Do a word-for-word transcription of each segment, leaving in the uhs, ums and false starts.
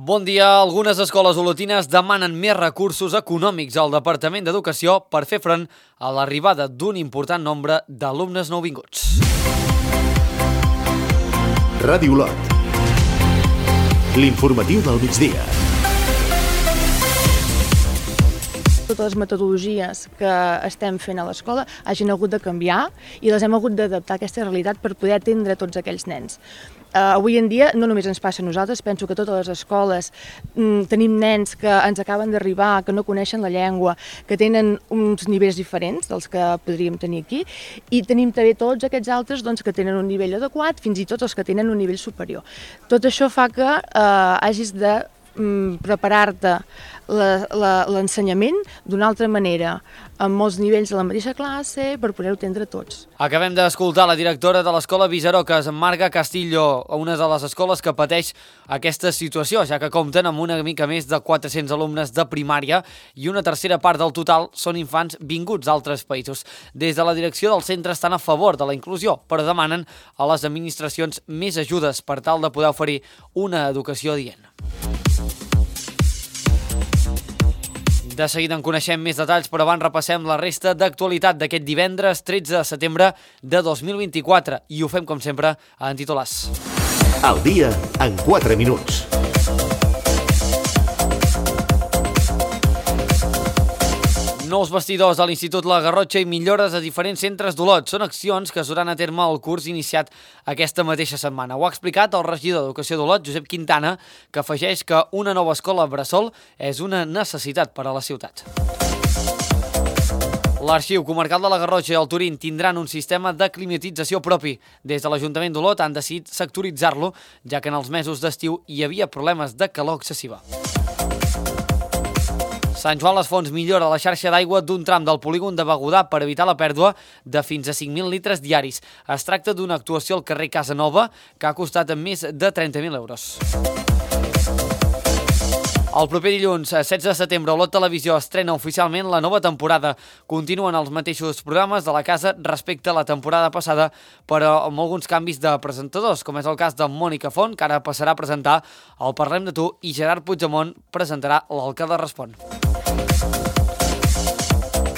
Bon dia. Algunes escoles olotines demanen més recursos econòmics al Departament d'Educació per fer front a l'arribada d'un important nombre d'alumnes nouvinguts. Ràdio Olot. L'informatiu del migdia. Totes les metodologies que estem fent a l'escola hagin hagut de canviar i les hem hagut d'adaptar a aquesta realitat per poder atendre tots aquells nens. Uh, avui en dia no només ens passa a nosaltres, penso que totes les escoles mm, tenim nens que ens acaben d'arribar, que no coneixen la llengua, que tenen uns nivells diferents dels que podríem tenir aquí, i tenim també tots aquests altres doncs, que tenen un nivell adequat, fins i tot els que tenen un nivell superior. Tot això fa que uh, hagis de mm, preparar-te l'ensenyament d'una altra manera, amb molts nivells de la mateixa classe, per poder-ho atendre tots. Acabem d'escoltar la directora de l'Escola Viserocas, Marga Castillo, una de les escoles que pateix aquesta situació, ja que compten amb una mica més de quatre-cents alumnes de primària i una tercera part del total són infants vinguts d'altres països. Des de la direcció del centre estan a favor de la inclusió, però demanen a les administracions més ajudes per tal de poder oferir una educació adient. De seguida en coneixem més detalls, però abans repassem la resta d'actualitat d'aquest divendres tretze de setembre de dos mil vint-i-quatre i ho fem, com sempre, en titulars. El dia en quatre minuts. Nous vestidors a l'Institut La Garrotxa i millores a diferents centres d'Olot. Són accions que es duran a terme al curs iniciat aquesta mateixa setmana. Ho ha explicat el regidor d'Educació d'Olot, Josep Quintana, que afegeix que una nova escola bressol és una necessitat per a la ciutat. L'Arxiu Comarcal de la Garrotxa i el Turín tindran un sistema de climatització propi. Des de l'Ajuntament d'Olot han decidit sectoritzar-lo, ja que en els mesos d'estiu hi havia problemes de calor excessiva. Sant Joan les Fonts millora la xarxa d'aigua d'un tram del polígon de Begudà per evitar la pèrdua de fins a cinc mil litres diaris. Es tracta d'una actuació al carrer Casa Nova que ha costat més de trenta mil euros. El proper dilluns, setze de setembre, Olot Televisió estrena oficialment la nova temporada. Continuen els mateixos programes de la casa respecte a la temporada passada, però amb alguns canvis de presentadors, com és el cas de Mònica Font, que ara passarà a presentar el Parlem de Tu, i Gerard Puigdemont presentarà l'Alcalde Respon.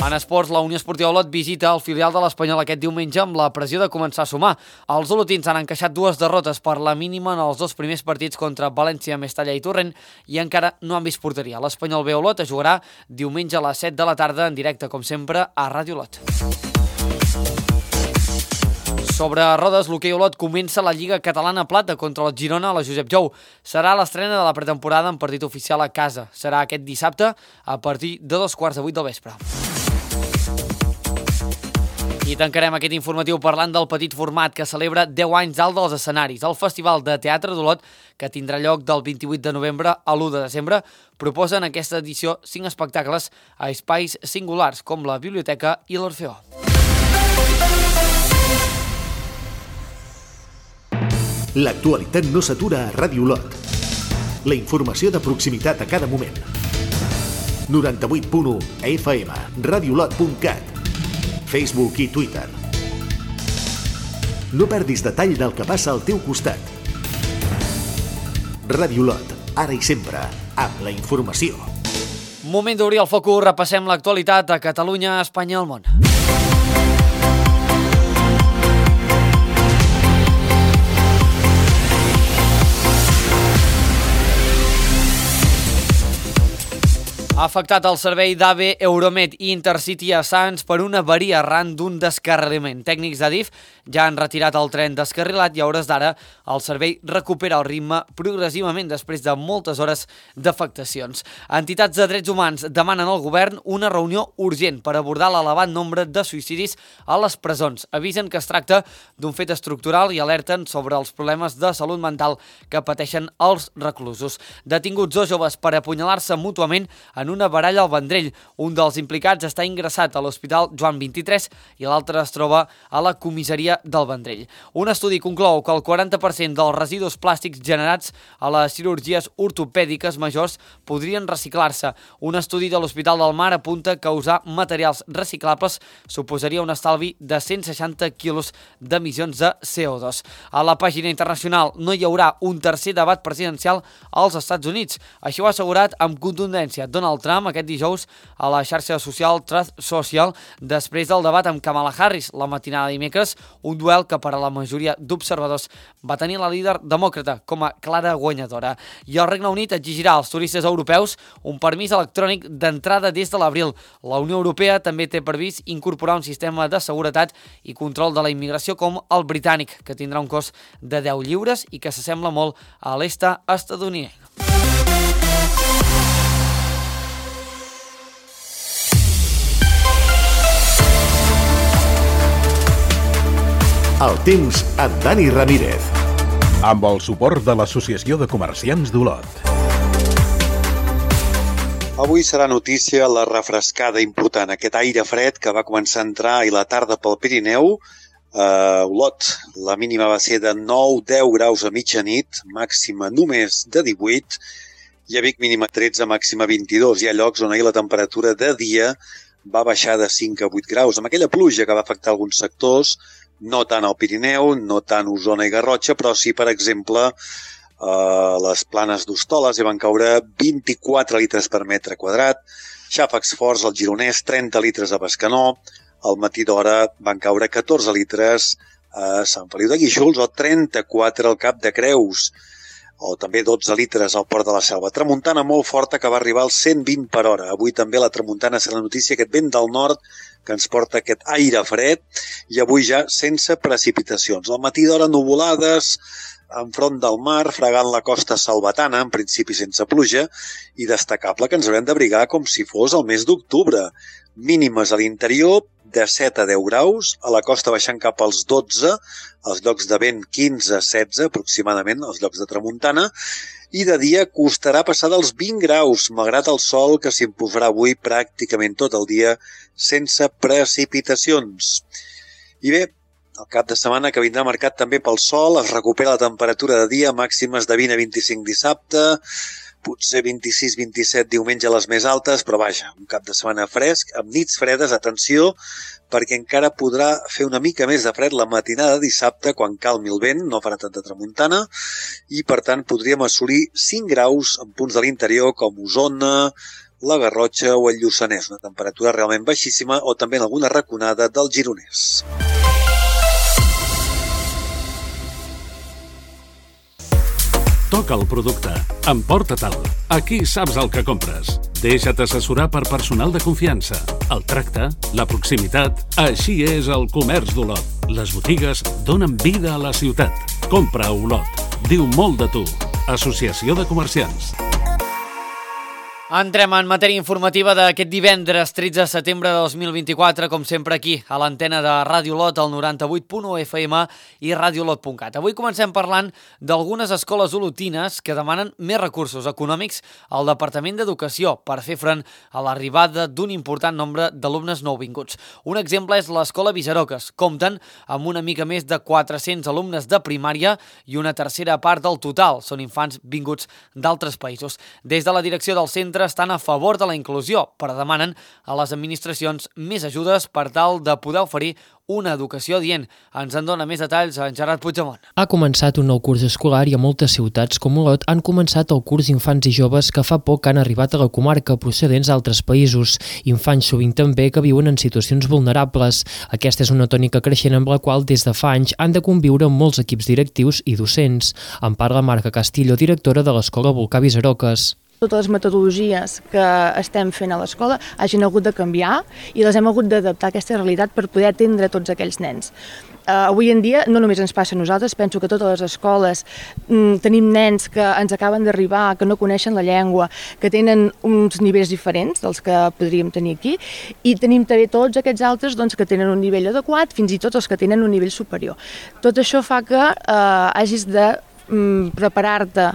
En esports, la Unió Esportiva Olot visita el filial de l'Espanyol aquest diumenge amb la pressió de començar a sumar. Els olotins han encaixat dues derrotes per la mínima en els dos primers partits contra València, Mestalla i Torrent i encara no han vist porteria. L'Espanyol B Olot es jugarà diumenge a les set de la tarda en directe, com sempre, a Ràdio Olot. Sobre rodes, l'hoquei Olot comença la Lliga Catalana Plata contra el Girona a la Josep Jou. Serà l'estrena de la pretemporada en partit oficial a casa. Serà aquest dissabte a partir de dos quarts de vuit del vespre. I tancarem aquest informatiu parlant del petit format que celebra deu anys dalt dels escenaris. El Festival de Teatre d'Olot, que tindrà lloc del vint-i-vuit de novembre a l'u de desembre, proposa en aquesta edició cinc espectacles a espais singulars, com la biblioteca i l'Orfeó. L'actualitat no s'atura a Ràdio Olot. La informació de proximitat a cada moment. noranta-vuit punt u F M, radiolot punt cat, Facebook i Twitter. No perdis detall del que passa al teu costat. Ràdio Olot, ara i sempre, amb la informació. Moment d'obrir el focus, repassem l'actualitat a Catalunya, Espanya i el món. Ha afectat el servei d'AVE, Euromed i Intercity a Sants per una avaria arran d'un descarrilament. Tècnics d'Adif ja han retirat el tren descarrilat i a hores d'ara el servei recupera el ritme progressivament després de moltes hores d'afectacions. Entitats de drets humans demanen al govern una reunió urgent per abordar l'elevat nombre de suïcidis a les presons. Avisen que es tracta d'un fet estructural i alerten sobre els problemes de salut mental que pateixen els reclusos. Detinguts dos joves per apunyalar-se mútuament en en una baralla al Vendrell. Un dels implicats està ingressat a l'Hospital Joan vint-i-tres i l'altre es troba a la comissaria del Vendrell. Un estudi conclou que el quaranta per cent dels residus plàstics generats a les cirurgies ortopèdiques majors podrien reciclar-se. Un estudi de l'Hospital del Mar apunta que usar materials reciclables suposaria un estalvi de cent seixanta quilos d'emissions de C O dos. A la pàgina internacional no hi haurà un tercer debat presidencial als Estats Units. Això ho ha assegurat amb contundència Donald Trump aquest dijous a la xarxa social Truth Social després del debat amb Kamala Harris la matinada de dimecres, un duel que per a la majoria d'observadors va tenir la líder demòcrata com a clara guanyadora. I el Regne Unit exigirà als turistes europeus un permís electrònic d'entrada des de l'abril. La Unió Europea també té previst incorporar un sistema de seguretat i control de la immigració com el britànic, que tindrà un cost de deu lliures i que s'assembla molt a l'est estatunidenc. El temps amb Dani Ramírez. Amb el suport de l'Associació de Comerciants d'Olot. Avui serà notícia la refrescada important, aquest aire fred que va començar a entrar ahir la tarda pel Pirineu. A Olot, la mínima va ser de nou a deu graus a mitjanit, màxima només de divuit, i a Vic mínima tretze, màxima vint-i-dos. Hi ha llocs on ahir la temperatura de dia va baixar de cinc a vuit graus, amb aquella pluja que va afectar alguns sectors, no tant al Pirineu, no tant Osona i Garrotxa, però sí, per exemple, a les planes d'Hostoles hi van caure vint-i-quatre litres per metre quadrat, xàfecs forts al Gironès, trenta litres a Bescanó, al matí d'hora van caure catorze litres a Sant Feliu de Guíxols o trenta-quatre al Cap de Creus, o també dotze litres al Port de la Selva. Tramuntana molt forta que va arribar als cent vint per hora. Avui també la tramuntana serà la notícia, aquest vent del nord que ens porta aquest aire fred i avui ja sense precipitacions. Al matí d'hora nuvolades enfront del mar, fregant la costa salvatana, en principi sense pluja, i destacable que ens haurem d'abrigar com si fos el mes d'octubre. Mínimes a l'interior de set a deu graus, a la costa baixant cap als dotze, als llocs de vent quinze a setze aproximadament, als llocs de tramuntana, i de dia costarà passar dels vint graus, malgrat el sol que s'imposarà avui pràcticament tot el dia sense precipitacions. I bé, el cap de setmana que vindrà marcat també pel sol, es recupera la temperatura de dia, màximes de vint a vint-i-cinc dissabte, potser vint-i-sis vint-i-set diumenge a les més altes, però vaja, un cap de setmana fresc, amb nits fredes, atenció, perquè encara podrà fer una mica més de fred la matinada de dissabte quan calmi el vent, no farà tanta tramuntana, i per tant podríem assolir cinc graus en punts de l'interior com Osona, la Garrotxa o el Lluçanès, una temperatura realment baixíssima, o també en alguna raconada del Gironès. Toca el producte. Emporta-te'l. Aquí saps el que compres. Deixa't assessorar per personal de confiança. El tracte, la proximitat... Així és el comerç d'Olot. Les botigues donen vida a la ciutat. Compra a Olot. Diu molt de tu. Associació de Comerciants. Entrem en matèria informativa d'aquest divendres tretze de setembre de dos mil vint-i-quatre, com sempre aquí, a l'antena de Ràdio Olot, al noranta-vuit punt u F M i radiolot punt cat. Avui comencem parlant d'algunes escoles olotines que demanen més recursos econòmics al Departament d'Educació per fer front a l'arribada d'un important nombre d'alumnes nouvinguts. Un exemple és l'Escola Visaroques. Compten amb una mica més de quatre-cents alumnes de primària i una tercera part del total són infants vinguts d'altres països. Des de la direcció del centre estan a favor de la inclusió, però demanen a les administracions més ajudes per tal de poder oferir una educació adient. Ens en dona més detalls en Gerard Puigdemont. Ha començat un nou curs escolar i a moltes ciutats com Olot han començat el curs d'infants i joves que fa poc han arribat a la comarca procedents d'altres països. Infants sovint també que viuen en situacions vulnerables. Aquesta és una tònica creixent amb la qual des de fa anys han de conviure molts equips directius i docents. En parla Marca Castillo, directora de l'Escola Volcà Visaroques. Totes les metodologies que estem fent a l'escola hagin hagut de canviar i les hem hagut d'adaptar a aquesta realitat per poder atendre tots aquells nens. Uh, avui en dia no només ens passa a nosaltres, penso que totes les escoles mm, tenim nens que ens acaben d'arribar, que no coneixen la llengua, que tenen uns nivells diferents dels que podríem tenir aquí, i tenim també tots aquests altres doncs, que tenen un nivell adequat, fins i tot els que tenen un nivell superior. Tot això fa que uh, hagis de preparar-te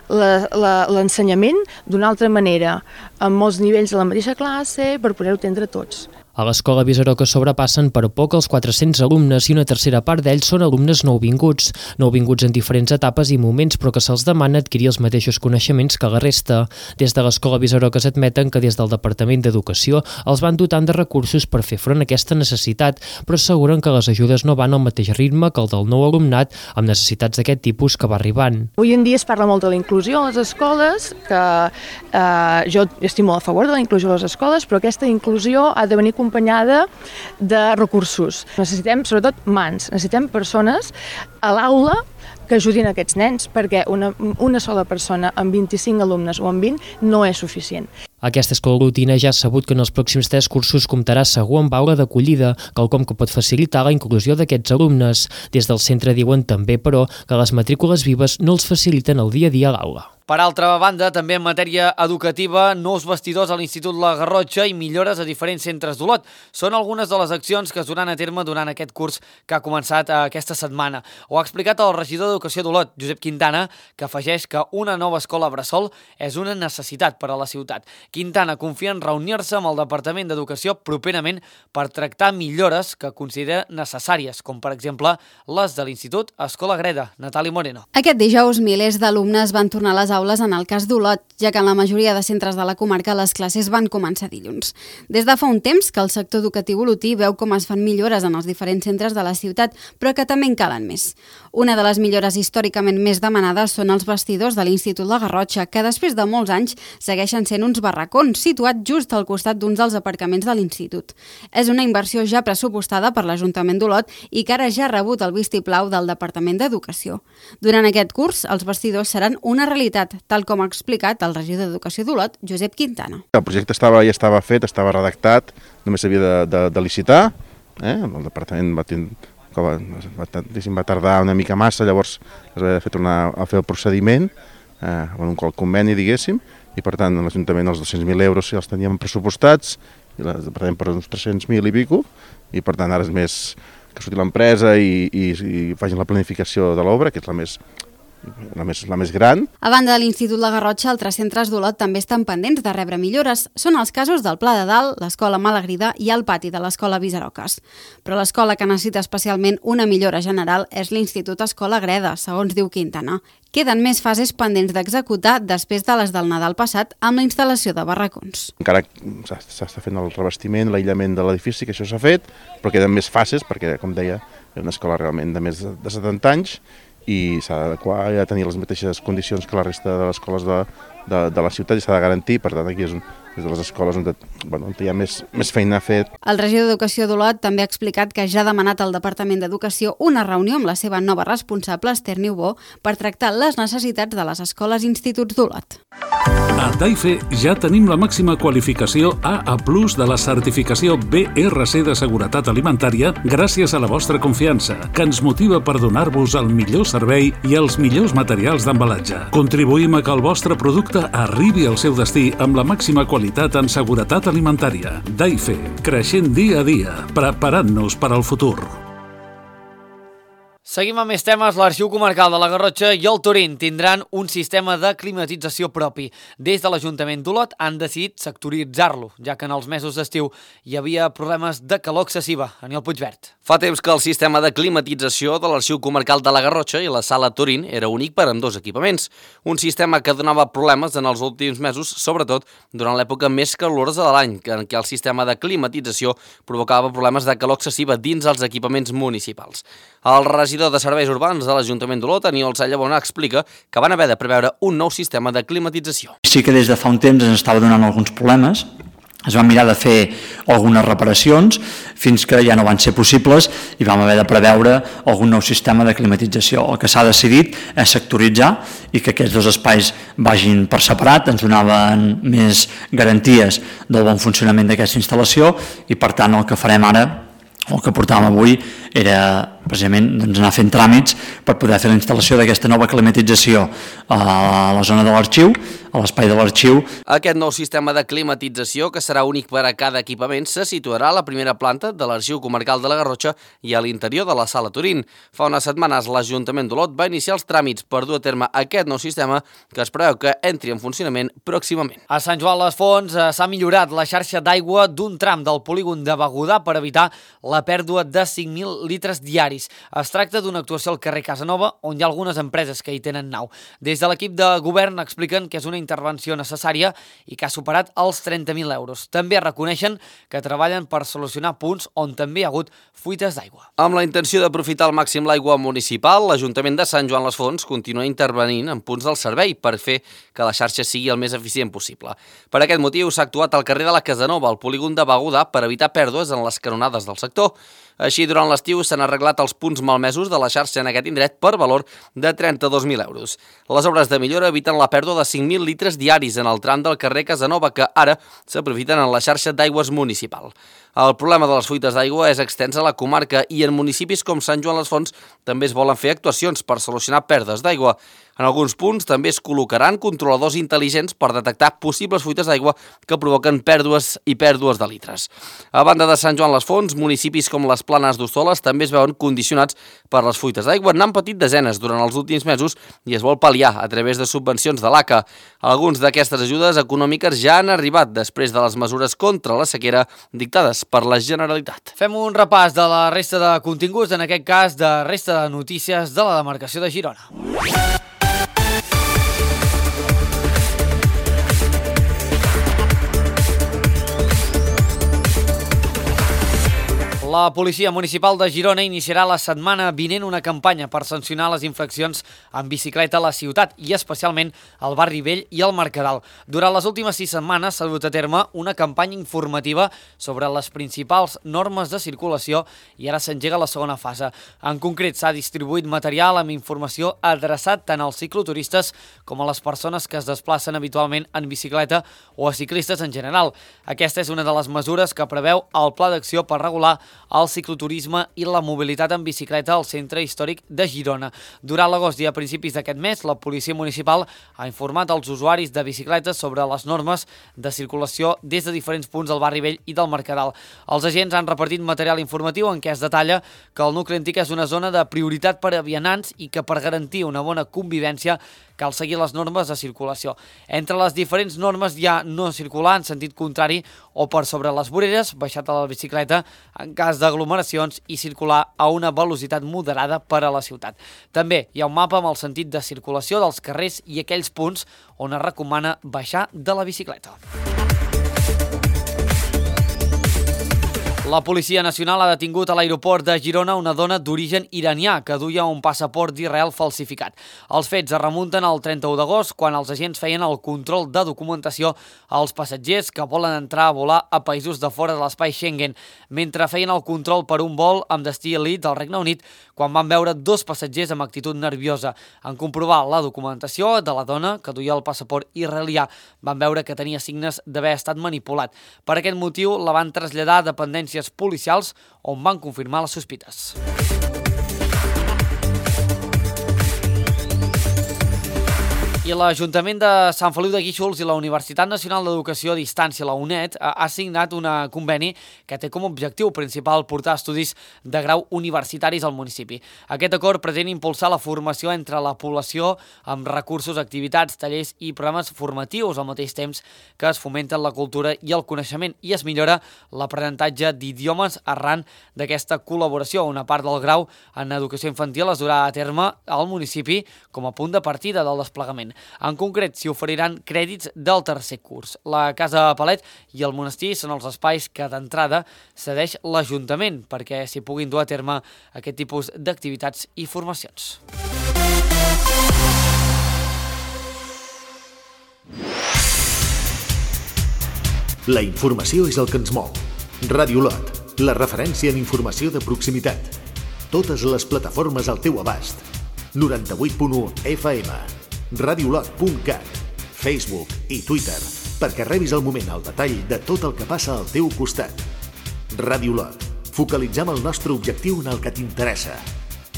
l'ensenyament d'una altra manera, amb molts nivells de la mateixa classe, per poder-ho entendre tots. A l'escola Visaroca sobrepassen per poc els quatre-cents alumnes i una tercera part d'ells són alumnes nouvinguts, nouvinguts en diferents etapes i moments, però que se'ls demana adquirir els mateixos coneixements que la resta. Des de l'escola Visaroca s'admeten que des del Departament d'Educació els van dotant de recursos per fer front a aquesta necessitat, però asseguren que les ajudes no van al mateix ritme que el del nou alumnat amb necessitats d'aquest tipus que va arribant. Avui en dia es parla molt de la inclusió a les escoles, que eh, jo estic molt a favor de la inclusió a les escoles, però aquesta inclusió ha de venir acompanyada de recursos. Necessitem, sobretot, mans. Necessitem persones a l'aula que ajudin aquests nens, perquè una, una sola persona amb vint-i-cinc alumnes o amb vint no és suficient. Aquesta escola lotina ja ha sabut que en els pròxims tres cursos comptarà segur amb aula d'acollida, quelcom que pot facilitar la inclusió d'aquests alumnes. Des del centre diuen també, però, que les matrícules vives no els faciliten el dia a dia a l'aula. Per altra banda, també en matèria educativa, nous vestidors a l'Institut La Garrotxa i millores a diferents centres d'Olot. Són algunes de les accions que es duran a terme durant aquest curs que ha començat aquesta setmana. Ho ha explicat el regidor d'Educació d'Olot, Josep Quintana, que afegeix que una nova escola bressol és una necessitat per a la ciutat. Quintana confia en reunir-se amb el Departament d'Educació properament per tractar millores que considera necessàries, com per exemple les de l'Institut Escola Greda. Natàlia Moreno. Aquest dijous, milers d'alumnes van tornar a les aules en el cas d'Olot, ja que en la majoria de centres de la comarca les classes van començar dilluns. Des de fa un temps que el sector educatiu olotí veu com es fan millores en els diferents centres de la ciutat, però que també en calen més. Una de les millores històricament més demanades són els vestidors de l'Institut La Garrotxa, que després de molts anys segueixen sent uns barracons situats just al costat d'uns dels aparcaments de l'Institut. És una inversió ja pressupostada per l'Ajuntament d'Olot i que ara ja ha rebut el vistiplau del Departament d'Educació. Durant aquest curs, els vestidors seran una realitat, tal com ha explicat el regidor d'Educació d'Olot, Josep Quintana. El projecte estava, ja estava fet, estava redactat, només s'havia de, de, de licitar, eh? El departament va, va, va, va tardar una mica massa, llavors es va fer tornar a fer el procediment, eh, amb un conveni, diguéssim, i per tant l'Ajuntament els dos-cents mil euros els teníem pressupostats, i el departament per uns tres-cents mil i pico, i per tant ara és més que surti l'empresa i, i, i facin la planificació de l'obra, que és la més... La més, la més gran. A banda de l'Institut La Garrotxa, altres centres d'Olot també estan pendents de rebre millores. Són els casos del Pla de Dalt, l'Escola Malagrida i el pati de l'Escola Visaroques. Però l'escola que necessita especialment una millora general és l'Institut Escola Greda, segons diu Quintana. Queden més fases pendents d'executar després de les del Nadal passat amb la instal·lació de barracons. Encara s'està fent el revestiment, l'aïllament de l'edifici, que això s'ha fet, però queden més fases perquè, com deia, és una escola realment de més de setanta anys i s'ha d'adequar a tenir les mateixes condicions que la resta de les escoles de, de, de la ciutat i s'ha de garantir, per tant aquí és, un, és de les escoles on, bueno, on hi ha més, més feina a fer. El regidor d'Educació d'Olot també ha explicat que ja ha demanat al Departament d'Educació una reunió amb la seva nova responsable, Esther Niubó, per tractar les necessitats de les escoles i instituts d'Olot. A Taife ja tenim la màxima qualificació A A plus de la certificació B R C de seguretat alimentària gràcies a la vostra confiança, que ens motiva per donar-vos el millor servei i els millors materials d'embalatge. Contribuïm a que el vostre producte arribi al seu destí amb la màxima qualitat en seguretat alimentària. Taife, creixent dia a dia, preparant-nos per al futur. Seguim amb més temes. L'Arxiu Comarcal de la Garrotxa i el Turín tindran un sistema de climatització propi. Des de l'Ajuntament d'Olot han decidit sectoritzar-lo, ja que en els mesos d'estiu hi havia problemes de calor excessiva. Aniol Puigvert. Fa temps que el sistema de climatització de l'Arxiu Comarcal de la Garrotxa i la Sala Turín era únic per a ambdós equipaments. Un sistema que donava problemes en els últims mesos, sobretot durant l'època més calorosa de l'any, en què el sistema de climatització provocava problemes de calor excessiva dins els equipaments municipals. El regidor de Serveis Urbans de l'Ajuntament d'Olot, Aniol Sallabona, explica que van haver de preveure un nou sistema de climatització. Sí que des de fa un temps ens estava donant alguns problemes, es van mirar de fer algunes reparacions fins que ja no van ser possibles i vam haver de preveure algun nou sistema de climatització. El que s'ha decidit és sectoritzar i que aquests dos espais vagin per separat, ens donaven més garanties del bon funcionament d'aquesta instal·lació i per tant el que farem ara, el que portàvem avui, era precisament doncs, anar fent tràmits per poder fer la instal·lació d'aquesta nova climatització a la zona de l'arxiu, a l'espai de l'arxiu. Aquest nou sistema de climatització, que serà únic per a cada equipament, se situarà a la primera planta de l'Arxiu Comarcal de la Garrotxa i a l'interior de la Sala Turín. Fa unes setmanes l'Ajuntament d'Olot va iniciar els tràmits per dur a terme aquest nou sistema, que es preveu que entri en funcionament pròximament. A Sant Joan les Fonts eh, s'ha millorat la xarxa d'aigua d'un tram del polígon de Begudà per evitar la pèrdua de cinc mil litres diaris. Es tracta d'una actuació al carrer Casanova, on hi ha algunes empreses que hi tenen nau. Des de l'equip de govern expliquen que és una intervenció necessària i que ha superat els trenta mil euros. També reconeixen que treballen per solucionar punts on també hi ha hagut fuites d'aigua. Amb la intenció d'aprofitar al màxim l'aigua municipal, l'Ajuntament de Sant Joan les Fonts continua intervenint en punts del servei per fer que la xarxa sigui el més eficient possible. Per aquest motiu s'ha actuat al carrer de la Casanova, al polígon de Begudà, per evitar pèrdues en les canonades del sector. Així, durant l'estiu s'han arreglat els punts malmesos de la xarxa en aquest indret per valor de trenta-dos mil euros. Les obres de millora eviten la pèrdua de cinc mil litres diaris en el tram del carrer Casanova, que ara s'aprofiten en la xarxa d'aigües municipal. El problema de les fuites d'aigua és extens a la comarca i en municipis com Sant Joan les Fonts també es volen fer actuacions per solucionar pèrdues d'aigua. En alguns punts també es col·locaran controladors intel·ligents per detectar possibles fuites d'aigua que provoquen pèrdues i pèrdues de litres. A banda de Sant Joan les Fonts, municipis com les Planes d'Hostoles també es veuen condicionats per les fuites d'aigua. N'han patit desenes durant els últims mesos i es vol pal·liar a través de subvencions de l'A C A. Alguns d'aquestes ajudes econòmiques ja han arribat després de les mesures contra la sequera dictades per la Generalitat. Fem un repàs de la resta de continguts, en aquest cas de resta de notícies de la demarcació de Girona. La Policia Municipal de Girona iniciarà la setmana vinent una campanya per sancionar les infraccions en bicicleta a la ciutat i especialment al barri Vell i al Mercadal. Durant les últimes sis setmanes s'ha dut a terme una campanya informativa sobre les principals normes de circulació i ara s'engega la segona fase. En concret, s'ha distribuït material amb informació adreçat tant als cicloturistes com a les persones que es desplacen habitualment en bicicleta o a ciclistes en general. Aquesta és una de les mesures que preveu el Pla d'Acció per regular el cicloturisme i la mobilitat en bicicleta al centre històric de Girona. Durant l'agost i a principis d'aquest mes, la Policia Municipal ha informat als usuaris de bicicletes sobre les normes de circulació des de diferents punts del barri Vell i del Mercadal. Els agents han repartit material informatiu en què es detalla que el nucli antic és una zona de prioritat per a vianants i que per garantir una bona convivència cal seguir les normes de circulació. Entre les diferents normes hi ha no circular en sentit contrari o per sobre les voreres, baixat a la bicicleta en cas d'aglomeracions i circular a una velocitat moderada per a la ciutat. També hi ha un mapa amb el sentit de circulació dels carrers i aquells punts on es recomana baixar de la bicicleta. La Policia Nacional ha detingut a l'aeroport de Girona una dona d'origen iranià que duia un passaport d'Israel falsificat. Els fets es remunten al trenta-u d'agost, quan els agents feien el control de documentació als passatgers que volen entrar a volar a països de fora de l'espai Schengen, mentre feien el control per un vol amb destí a Leeds, al Regne Unit, quan van veure dos passatgers amb actitud nerviosa. En comprovar la documentació de la dona, que duia el passaport israelià, van veure que tenia signes d'haver estat manipulat. Per aquest motiu, la van traslladar a dependències policials on van confirmar les sospites. I l'Ajuntament de Sant Feliu de Guíxols i la Universitat Nacional d'Educació a Distància, la U N E D, ha signat un conveni que té com a objectiu principal portar estudis de grau universitaris al municipi. Aquest acord pretén impulsar la formació entre la població amb recursos, activitats, tallers i programes formatius al mateix temps que es fomenten la cultura i el coneixement i es millora l'aprenentatge d'idiomes arran d'aquesta col·laboració. Una part del grau en educació infantil es durà a terme al municipi com a punt de partida del desplegament. En concret, s'hi oferiran crèdits del tercer curs. La Casa Palet i el monestir són els espais que d'entrada cedeix l'Ajuntament perquè s'hi puguin dur a terme aquest tipus d'activitats i formacions. La informació és el que ens mou. Ràdio Olot, la referència en informació de proximitat. Totes les plataformes al teu abast. noranta-vuit punt u F M. radiolot punt cat, Facebook i Twitter, perquè rebis al moment el detall de tot el que passa al teu costat. Ràdio Olot, focalitzem el nostre objectiu en el que t'interessa.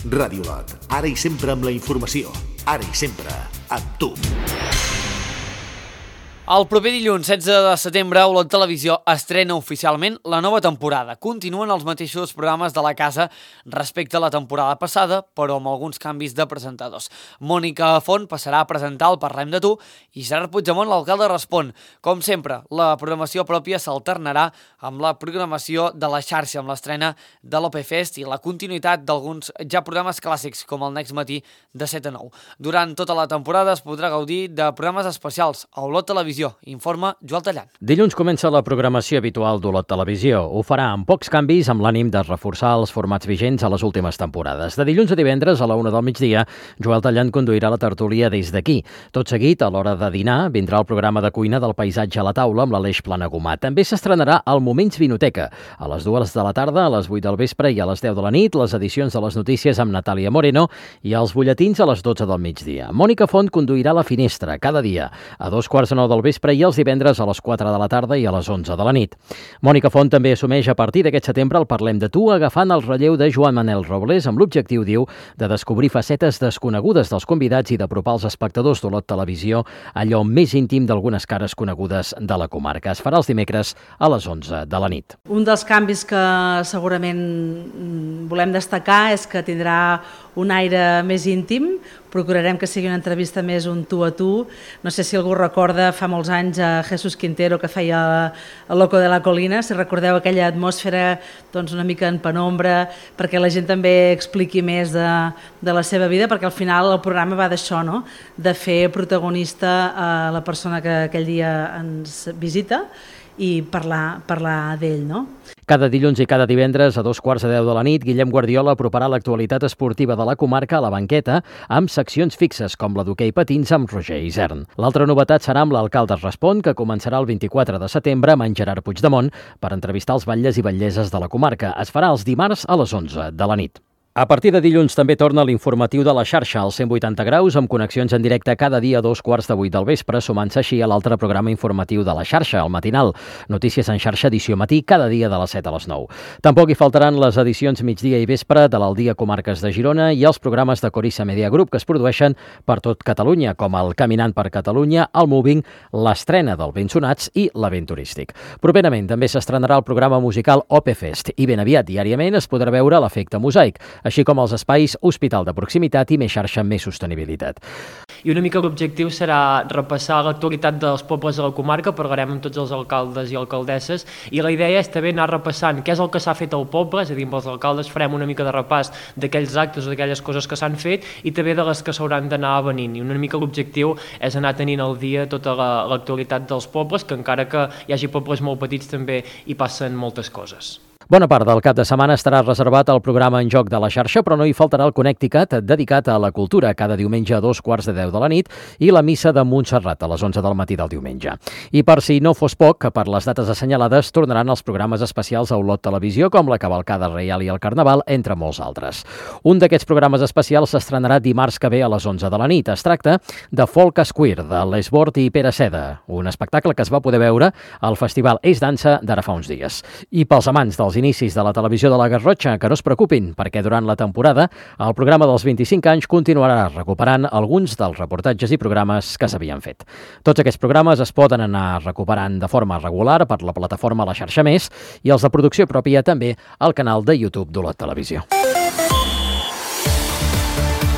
Ràdio Lot, ara i sempre amb la informació, ara i sempre amb tu. El proper dilluns setze de setembre, Olot Televisió estrena oficialment la nova temporada. Continuen els mateixos programes de la casa respecte a la temporada passada, però amb alguns canvis de presentadors. Mònica Font passarà a presentar el Parlem de tu i Gerard Puigdemont, l'alcalde, respon. Com sempre, la programació pròpia s'alternarà amb la programació de la xarxa, amb l'estrena de l'O P Fest i la continuïtat d'alguns ja programes clàssics, com el Next Matí de set a nou. Durant tota la temporada es podrà gaudir de programes especials a Olot Televisió. Informa Joel Tallant. Dilluns comença la programació habitual d'Olot Televisió. Ho farà amb pocs canvis, amb l'ànim de reforçar els formats vigents a les últimes temporades. De dilluns a divendres a la una del migdia, Joel Tallant conduirà la tertúlia des d'aquí. Tot seguit, a l'hora de dinar, vindrà el programa de cuina del paisatge a la taula amb l'Aleix Planagumà. També s'estrenarà el Moments Vinoteca. A les dues de la tarda, a les vuit del vespre i a les deu de la nit, les edicions de les notícies amb Natàlia Moreno i els butlletins a les dotze del migdia. Mònica Font conduirà La Finestra cada dia, a dos quarts de nou del vespre i els divendres a les quatre de la tarda i a les onze de la nit. Mònica Font també assumeix a partir d'aquest setembre el Parlem de tu, agafant el relleu de Joan Manel Robles amb l'objectiu, diu, de descobrir facetes desconegudes dels convidats i d'apropar als espectadors d'Olot Televisió allò més íntim d'algunes cares conegudes de la comarca. Es farà els dimecres a les onze de la nit. Un dels canvis que segurament volem destacar és que tindrà un aire més íntim. Procurarem que sigui una entrevista més un tu a tu. No sé si algú recorda fa molts anys a Jesús Quintero que feia el Loco de la Colina, si recordeu aquella atmosfera doncs, una mica en penombra, perquè la gent també expliqui més de, de la seva vida, perquè al final el programa va d'això, no? De fer protagonista a la persona que aquell dia ens visita i parlar, parlar d'ell, no? Cada dilluns i cada divendres a dos quarts de deu de la nit, Guillem Guardiola aproparà l'actualitat esportiva de la comarca a la banqueta amb seccions fixes com la d'hoquei patins amb Roger Isern. L'altra novetat serà amb l'Alcalde Respon, que començarà el vint-i-quatre de setembre amb en Gerard Puigdemont per entrevistar els batlles i batlleses de la comarca. Es farà els dimarts a les onze de la nit. A partir de dilluns també torna l'informatiu de la xarxa als cent vuitanta graus amb connexions en directe cada dia a dos quarts de vuit del vespre, sumant-se així a l'altre programa informatiu de la xarxa, el matinal. Notícies en xarxa edició matí cada dia de les set a les nou. Tampoc hi faltaran les edicions migdia i vespre de l'Aldia Comarques de Girona i els programes de Corissa Media Group que es produeixen per tot Catalunya, com el Caminant per Catalunya, el Moving, l'estrena del Ben Sonats i l'Event Turístic. Properament també s'estrenarà el programa musical O P Fest i ben aviat diàriament es podrà veure l'Efecte Mosaic, així com els espais Hospital de Proximitat i Més Xarxa amb Més Sostenibilitat. I una mica l'objectiu serà repassar l'actualitat dels pobles de la comarca, parlarem amb tots els alcaldes i alcaldesses, i la idea és també anar repassant què és el que s'ha fet al poble, és a dir, amb els alcaldes farem una mica de repàs d'aquells actes o d'aquelles coses que s'han fet i també de les que s'hauran d'anar venint. I una mica l'objectiu és anar tenint al dia tota l'actualitat dels pobles, que encara que hi hagi pobles molt petits també hi passen moltes coses. Bona part del cap de setmana estarà reservat al programa En Joc de la xarxa, però no hi faltarà el Connecticut dedicat a la cultura, cada diumenge a dos quarts de deu de la nit, i la missa de Montserrat a les onze del matí del diumenge. I per si no fos poc, que per les dates assenyalades tornaran els programes especials a Olot Televisió, com la Cavalcada Reial i el Carnaval, entre molts altres. Un d'aquests programes especials s'estrenarà dimarts que ve a les onze de la nit. Es tracta de Folk Square, de l'Esbort i Pere Seda, un espectacle que es va poder veure al Festival És Dansa d'ara fa uns dies. I pels amants dels inicis de la televisió de la Garrotxa, que no es preocupin, perquè durant la temporada el programa dels vint-i-cinc anys continuarà recuperant alguns dels reportatges i programes que s'havien fet. Tots aquests programes es poden anar recuperant de forma regular per la plataforma La Xarxa Més i els de producció pròpia també al canal de YouTube d'Olot Televisió.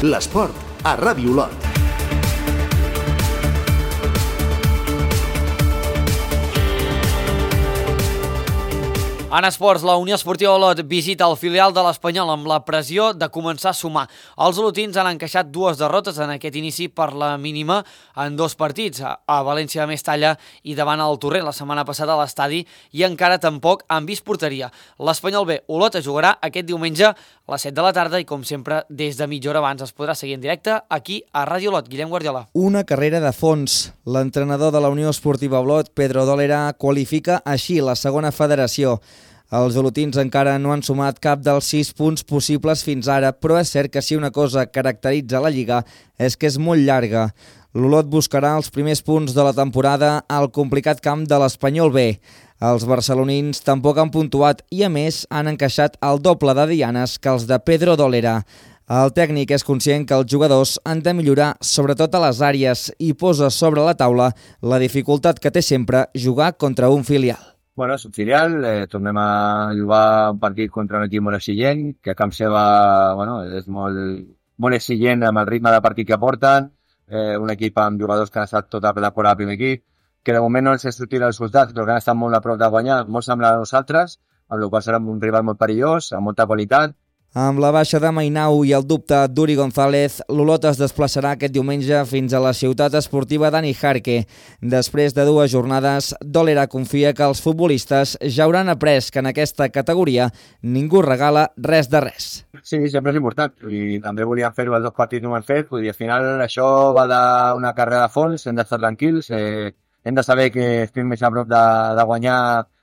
L'esport a Ràdio Olot. En esports, la Unió Esportiva Olot visita el filial de l'Espanyol amb la pressió de començar a sumar. Els olotins han encaixat dues derrotes en aquest inici per la mínima en dos partits, a València de Mestalla i davant el Torrent la setmana passada a l'estadi, i encara tampoc han vist porteria. L'Espanyol B Olot es jugarà aquest diumenge a les set de la tarda i, com sempre, des de mitja hora abans es podrà seguir en directe aquí a Ràdio Olot. Guillem Guardiola. Una carrera de fons. L'entrenador de la Unió Esportiva Olot, Pedro Dólera, qualifica així la segona federació. Els olotins encara no han sumat cap dels sis punts possibles fins ara, però és cert que si una cosa caracteritza la Lliga és que és molt llarga. L'Olot buscarà els primers punts de la temporada al complicat camp de l'Espanyol B. Els barcelonins tampoc han puntuat i, a més, han encaixat el doble de dianes que els de Pedro Dólera. El tècnic és conscient que els jugadors han de millorar sobretot a les àrees i posa sobre la taula la dificultat que té sempre jugar contra un filial. Bueno, és un filial, eh, tornem a jugar un partit contra un equip molt exigent, que a camp seva bueno, és molt, molt exigent amb el ritme de partit que porten, eh, un equip amb jugadors que han estat tota la temporada al primer equip, que de moment no els és sortit els resultats, però que han estat molt a prop de guanyar, molt semblant a nosaltres, amb la qual serà un rival molt perillós, amb molta qualitat. Amb la baixa de Mainau i el dubte d'Uri González, l'Olot es desplaçarà aquest diumenge fins a la ciutat esportiva d'Ani Jarque. Després de dues jornades, Dòlera confia que els futbolistes ja hauran après que en aquesta categoria ningú regala res de res. Sí, sempre és important. I també volíem fer-ho els dos partits no ho han fet. Vull dir, al final això va d'una carrera de fons, hem d'estar tranquils, eh, hem de saber que estem més a prop de, de guanyar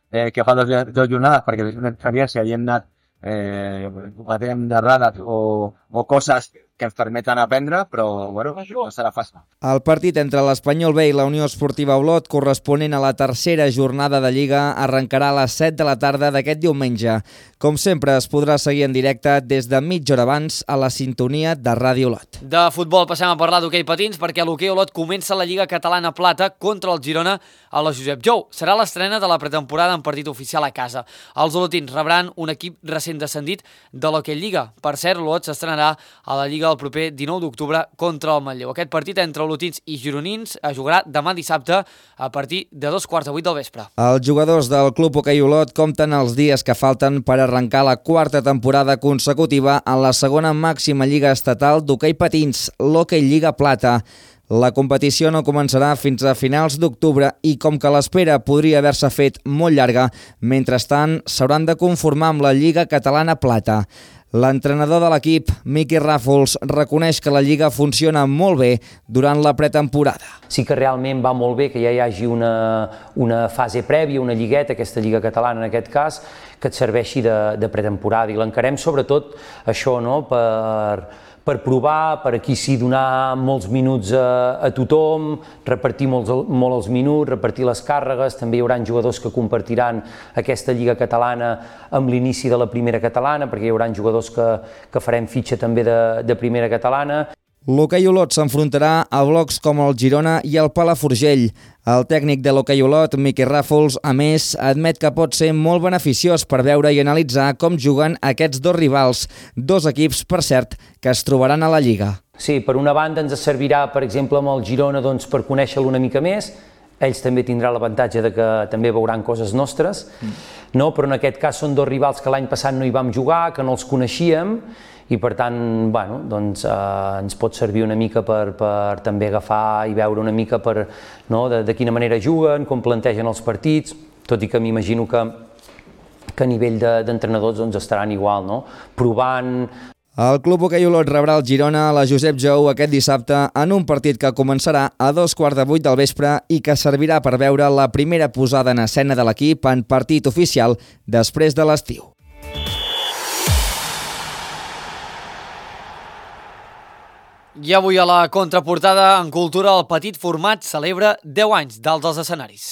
eh, que fa dos, dos jornades, perquè és una experiència i hem anat eh, batem d'errades o, o coses que ens permeten aprendre, però bueno, no serà fàcil. El partit entre l'Espanyol B i la Unió Esportiva Olot, corresponent a la tercera jornada de Lliga, arrencarà a les set de la tarda d'aquest diumenge. Com sempre, es podrà seguir en directe des de mitja hora abans a la sintonia de Ràdio Olot. De futbol passem a parlar d'hoquei patins perquè l'hoquei Olot comença la Lliga Catalana Plata contra el Girona a la Josep Jou. Serà l'estrena de la pretemporada en partit oficial a casa. Els olotins rebran un equip recent descendit de l'hoquei Lliga. Per cert, l'Olot s'estrenarà a la Lliga el proper dinou d'octubre contra el Manlleu. Aquest partit entre olotins i gironins es jugarà demà dissabte a partir de dos quarts de vuit del vespre. Els jugadors del Club Hoquei Olot compten els dies que falten per arrencar la quarta temporada consecutiva en la segona màxima lliga estatal d'hoquei patins, l'Hoquei Lliga Plata. La competició no començarà fins a finals d'octubre i com que l'espera podria haver-se fet molt llarga, mentrestant s'hauran de conformar amb la Lliga Catalana Plata. L'entrenador de l'equip, Miqui Ràfols, reconeix que la Lliga funciona molt bé durant la pretemporada. Sí que realment va molt bé que ja hi hagi una, una fase prèvia, una lligueta, aquesta Lliga Catalana en aquest cas, que et serveixi de, de pretemporada. I l'encarem sobretot això, no?, per... per provar, per aquí sí donar molts minuts a, a tothom, repartir molts, molt els minuts, repartir les càrregues, també hi haurà jugadors que compartiran aquesta Lliga Catalana amb l'inici de la primera catalana, perquè hi haurà jugadors que, que farem fitxa també de, de primera catalana. L'Hoquei Olot s'enfrontarà a blocs com el Girona i el Palafrugell. El tècnic de l'Hoquei Olot, Miqui Ràfols, a més, admet que pot ser molt beneficiós per veure i analitzar com juguen aquests dos rivals, dos equips, per cert, que es trobaran a la Lliga. Sí, per una banda ens servirà, per exemple, amb el Girona doncs, per conèixer-lo una mica més. Ells també tindran l'avantatge de que també veuran coses nostres, no? Però en aquest cas són dos rivals que l'any passat no hi vam jugar, que no els coneixíem, i per tant bueno, doncs, eh, ens pot servir una mica per, per també agafar i veure una mica per, no, de, de quina manera juguen, com plantegen els partits, tot i que m'imagino que, que a nivell d'entrenadors de, doncs, estaran igual, no? Provant. El Club Hoquei Olot rebrà el Girona a la Josep Jou aquest dissabte en un partit que començarà a dos quarts de vuit del vespre i que servirà per veure la primera posada en escena de l'equip en partit oficial després de l'estiu. I avui a la contraportada, en cultura, el petit format celebra deu anys dalt dels escenaris.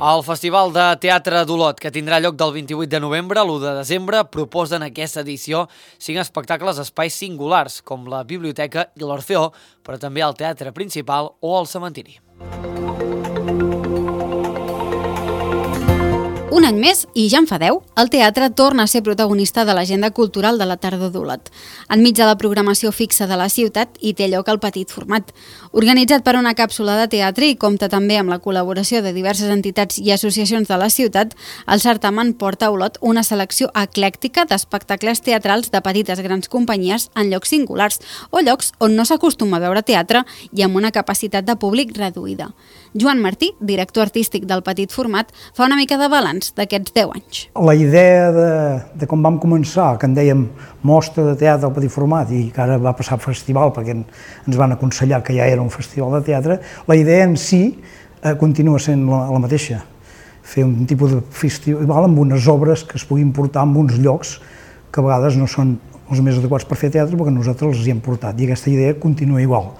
El Festival de Teatre d'Olot, que tindrà lloc del vint-i-vuit de novembre a l'u de desembre, proposa en aquesta edició cinc espectacles a espais singulars, com la biblioteca i l'Orfeó, però també el teatre principal o el cementiri. Un any més, i ja en fa deu, el teatre torna a ser protagonista de l'agenda cultural de la tardor d'Olot. Enmig de la programació fixa de la ciutat hi té lloc el petit format. Organitzat per una càpsula de teatre i compta també amb la col·laboració de diverses entitats i associacions de la ciutat, el certamen porta a Olot una selecció eclèctica d'espectacles teatrals de petites grans companyies en llocs singulars o llocs on no s'acostuma a veure teatre i amb una capacitat de públic reduïda. Joan Martí, director artístic del petit format, fa una mica de balanç d'aquests deu anys. La idea de, de com vam començar, que en dèiem mostra de teatre al petit format i que ara va passar a festival perquè ens van aconsellar que ja era un festival de teatre, la idea en si eh, continua sent la, la mateixa. Fer un tipus de festival amb unes obres que es puguin portar en uns llocs que a vegades no són els més adequats per fer teatre perquè nosaltres els hi hem portat i aquesta idea continua igual.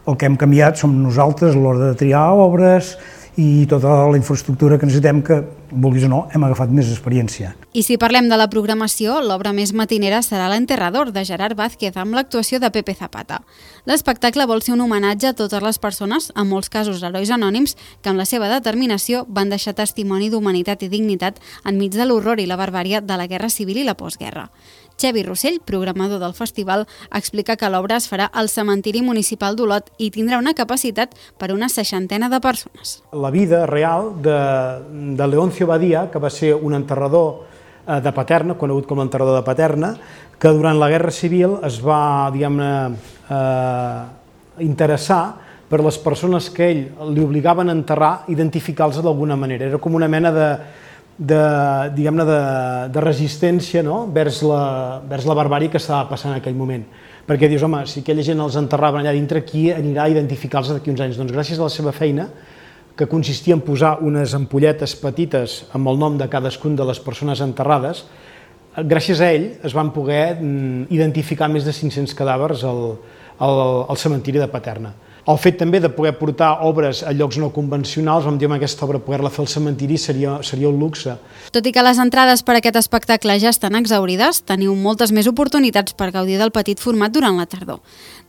El que hem canviat som nosaltres a l'hora de triar obres i tota la infraestructura que necessitem que, vulguis o no, hem agafat més experiència. I si parlem de la programació, l'obra més matinera serà l'Enterrador, de Gerard Vázquez, amb l'actuació de Pepe Zapata. L'espectacle vol ser un homenatge a totes les persones, en molts casos herois anònims, que amb la seva determinació van deixar testimoni d'humanitat i dignitat enmig de l'horror i la barbària de la Guerra Civil i la postguerra. Xevi Rossell, programador del festival, explica que l'obra es farà al cementiri municipal d'Olot i tindrà una capacitat per una seixantena de persones. La vida real de, de Leoncio Badia, que va ser un enterrador de Paterna, conegut com l'enterrador de Paterna, que durant la Guerra Civil es va, diguem-ne, eh, interessar per les persones que ell li obligaven a enterrar, identificar-los d'alguna manera. Era com una mena de de, diguem-ne, de, de resistència, no?, vers la, vers la barbària que estava passant en aquell moment. Perquè dius, home, si aquella gent els enterraven allà dintre, qui anirà a identificar-los d'aquí uns anys? Doncs gràcies a la seva feina, que consistia en posar unes ampolletes petites amb el nom de cadascun de les persones enterrades, gràcies a ell es van poder identificar més de cinc-cents cadàvers al, al, al cementiri de Paterna. El fet també de poder portar obres a llocs no convencionals, vam dir que aquesta obra poder-la fer al cementiri seria, seria un luxe. Tot i que les entrades per a aquest espectacle ja estan exhaurides, teniu moltes més oportunitats per gaudir del petit format durant la tardor.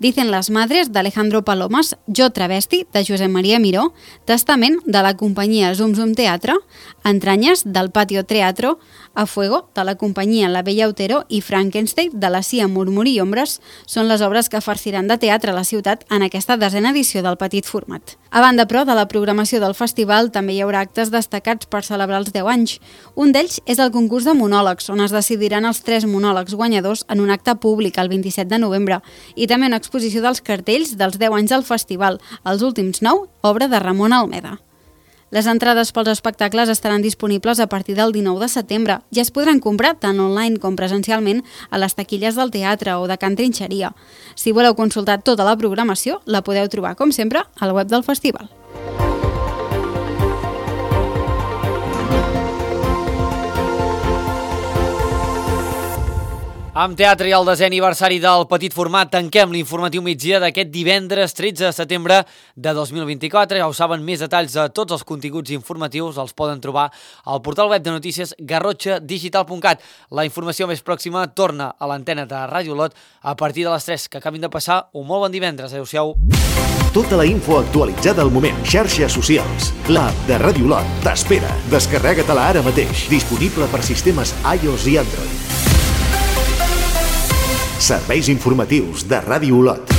Dicen les madres, d'Alejandro Palomas, Jo Travesti, de Josep Maria Miró, Testament, de la companyia Zum Zum Teatre, Entranyes, del Patio Teatro, A Fuego, de la companyia La Bella Otero i Frankenstein, de la Cia Murmuri i Ombres, són les obres que farciran de teatre a la ciutat en aquesta desena edició del petit format. A banda, però, de la programació del festival també hi haurà actes destacats per celebrar els deu anys. Un d'ells és el concurs de monòlegs, on es decidiran els tres monòlegs guanyadors en un acte públic el vint-i-set de novembre, i també una exposició dels cartells dels deu anys del festival, els últims nou, obra de Ramon Almeda. Les entrades pels espectacles estaran disponibles a partir del dinou de setembre i es podran comprar tant online com presencialment a les taquilles del teatre o de Can Trinxeria. Si voleu consultar tota la programació, la podeu trobar, com sempre, al web del festival. Amb teatre i el desè aniversari del petit format tanquem l'informatiu migdia d'aquest divendres tretze de setembre de dos mil vint-i-quatre. Ja ho saben, més detalls de tots els continguts informatius els poden trobar al portal web de notícies garrotxa digital punt cat. La informació més pròxima torna a l'antena de Ràdio Olot a partir de les tres. Que acabin de passar un molt bon divendres. Adéu-siau. Tota la info actualitzada al moment. Xarxes socials. L'app de Ràdio Olot t'espera. Descarrega-te-la ara mateix. Disponible per sistemes iOS i Android. Serveis informatius de Ràdio Olot.